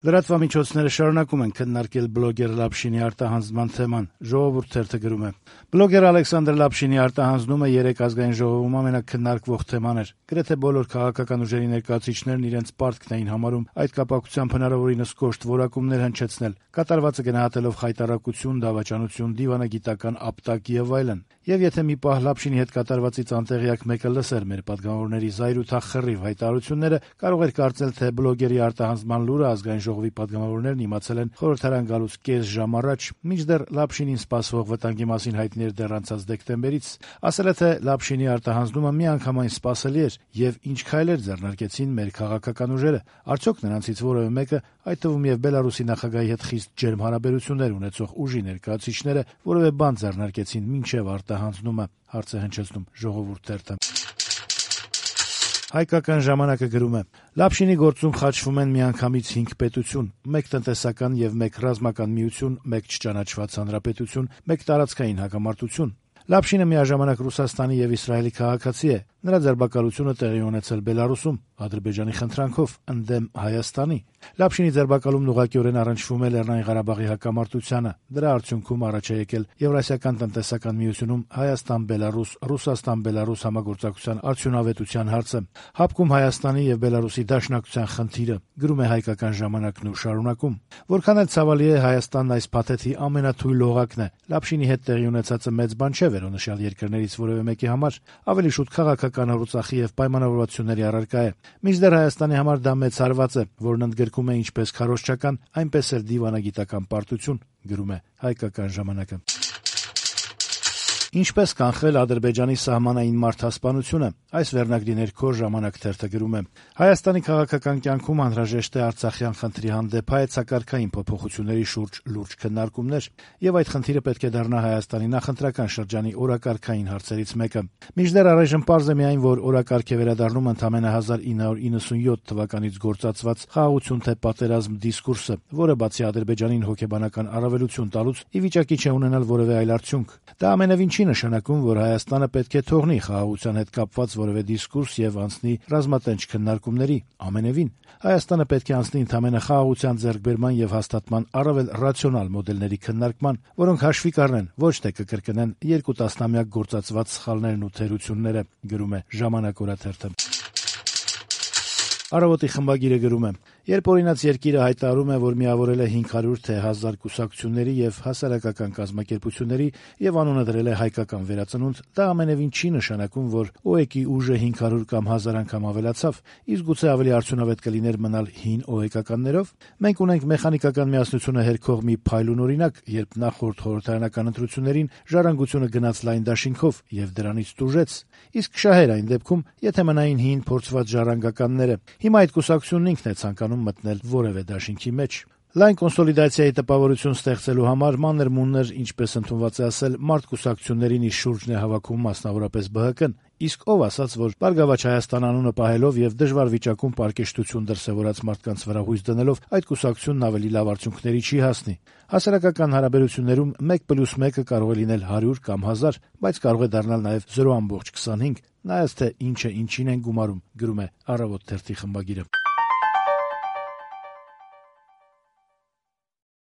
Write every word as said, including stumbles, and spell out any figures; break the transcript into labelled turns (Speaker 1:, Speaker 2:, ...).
Speaker 1: Լրատվամիջոցները շարունակում են քննարկել բլոգեր Լապշինի արտահանձնման թեման։ Ժողովուրդ թերթը գրում է. Բլոգեր Ալեքսանդր Լապշինի արտահանձնումը երեք ազգային ժողովում ամենակննարկվող թեման էր։ Գրեթե բոլոր քաղաքական ուժերի ներկայացուցիչներն իրենց պարտքն էին համարում այդ կապակցությամբ հնարավորինս կոշտ որակումներ հնչեցնել, կատարվածը գնահատելով խայտառակություն, դավաճանություն, դիվանագիտական ապտակ եւ այլն։ Եվ եթե մի պահ Լապշինի հետ կատարվածից անտեղյակ մեկը լսեր մեր պատգամավորների զայրույթախռիվ հայտարարությունները, կարող էր կարծել, թե բլոգերի արտահանձնման լուրը ազգային ժողովի պատգամավորներն իմացել են խորհրդարան գալուց կես ժամ առաջ, մինչդեռ Լապշինին սպասվող վտանգի մասին հայտնի էր դեռ անցած դեկտեմբերից։ Ասել է, թե Լապշինի արտահանձնումը միանգամայն սպասելի էր եւ ինչ քայլեր ձեռնարկեցին մեր քաղաքական ուժերը։ Արդյոք նրանցից որևէ մեկը, այդ թվում եւ Բելարուսի նախագահի հետ խիստ ջերմ հարաբերություններ ունեցող ուժի ներկայացուցիչները, որևէ բան ձեռնարկեցին մինչեւ արտահանձնումը, հարց է հնչեցնում Ժողովուրդ թերթը։ Հայկական ժամանակը գրում է. Լապշինի գործում խաչվում են միանգամից հինգ պետություն, մեկ տնտեսական եւ մեկ ռազմական միություն, մեկ չճանաչված հանրապետություն, մեկ տարածքային հակամարտություն։ Լապշինը միաժամանակ Ռուսաստանի եւ Իսրայելի քաղաքացի է։ Նրա ձերբակալությունը տեղի ունեցել Բելարուսում, Ադրբեջանի խնդրանքով, ընդդեմ Հայաստանի։ Լապշինի ձերբակալումն ուղղակիորեն առնչվում է Լեռնային Ղարաբաղի հակամարտությանը։ Դրա արդյունքում առաջ է եկել Եվրասիական տնտեսական միությունում Հայաստան-Բելարուս, Ռուսաստան-Բելարուս համագործակցության արդյունավետության հարցը, հապկում Հայաստանի եւ Բելարուսի դաշնակցության խնդիրը, գրում է Հայկական ժամանակն ու շարունակում։ Որքան էլ ցավալի է, Հայաստանն այս փաթեթի ամենաթույլ լողակն է։ Լապշինի հետ տեղի ունեցածը մեծ բան չէ վերոնշյալ երկրներից որևէ մեկի համար, ավելի շուտ քաղաքական հռուցախի եւ պայմանավորվածությունների առարկա է։ Մինչդեռ Հայաստանի համար դա մեծ հարված է, որն ընդգրկում է ինչպես քարոզչական, այնպես էլ դիվանագիտական պարտություն, գրում է Հայկական ժամանակը։ Ինչպես կանխել Ադրբեջանի սահմանային մարդասպանությունը, այս վերնագրի ներքո Ժամանակ թերթը գրում է. Հայաստանի քաղաքական կյանքում անհրաժեշտ է արցախյան խնդրի հանդեպ հայեցակարգային փոփոխությունների շուրջ լուրջ քննարկումներ, եւ այդ խնդիրը պետք է դառնա Հայաստանի նախընտրական շրջանի օրակարգային հարցերից մեկը։ Մինչդեռ առայժմ պարզ է միայն, որ օրակարգ է վերադառնում ընդամենը հազար ինը հարյուր իննսունյոթ թվականից գործածված խաղաղություն թե պատերազմ դիսկուրսը, որը բացի Ադրբեջանին հոգեբանական առավելություն տալուց, ի վիճակի չէ ունենալ որևէ այլ արդյունք։ Դա ամենևին չի նշանակում, որ Հայաստանը պետք է թողնի խաղաղության հետ կապված որևէ դիսկուրս եւ անցնի ռազմատենչ քննարկումների։ Ամենևին Հայաստանը պետք է անցնի ընդամենը խաղաղության ձեռքբերման եւ հաստատման առավել ռացիոնալ մոդելների քննարկման, որոնք հաշվի կառնեն, ոչ թե կկրկնեն երկու տասնամյակ գործածված սխալներն ու թերությունները, գրում է Ժամանակ օրաթերթը։ Առավոտի խմբագիրը գրում է. Երբ օրինաց երկիրը հայտարարում է, որ միավորել է հինգ հարյուր թե հազար կուսակցությունների եւ հասարակական կազմակերպությունների եւ անունը դրել է հայկական վերածնունդ, դա ամենևին չի նշանակում, որ ՕԵԿ-ի ուժը հինգ հարյուր կամ հազար անգամ ավելացավ, իսկ գուցե ավելի արդյունավետ կլիներ մնալ հին ՕԵԿ-ականներով։ Մենք ունենք մեխանիկական միասնությունը հերքող մի փայլուն օրինակ, երբ նախորդ խորհրդարանական ընտրություններին ժառանգությունը գնաց լայն դաշինքով եւ դրանից տուժեց, իսկ շահեր այն դեպքում, եթե մնային հին փորձված ժառանգականները։ Հիմա այդ կուսակցությունն ինքն է ցանկանում մտնել որևէ դաշինքի մեջ։ Լայն կոնսոլիդացիայի տպավորություն ստեղծելու համար մանր-մունր, ինչպես ընդունված է ասել, մարդկուսակցություններին իր շուրջն է հավաքում մասնավորապես ԲՀԿ-ն, իսկ ով ասաց, որ Բարգավաճ Հայաստան անունը պահելով եւ դժվար վիճակում պարկեշտություն դրսեւորած մարդկանց վրա հույս դնելով այդ կուսակցությունն ավելի լավ արդյունքների չի հասնի։ Հասարակական հարաբերություններում մեկ պլյուս մեկը կարող է լինել հարյուր կամ հազար, բայց կարող է դառնալ նաեւ զրո ամբողջ քսանհինգ, նայած թե ինչը ինչին են գումարում, գրում է Առավոտ թերթի խմբագիրը։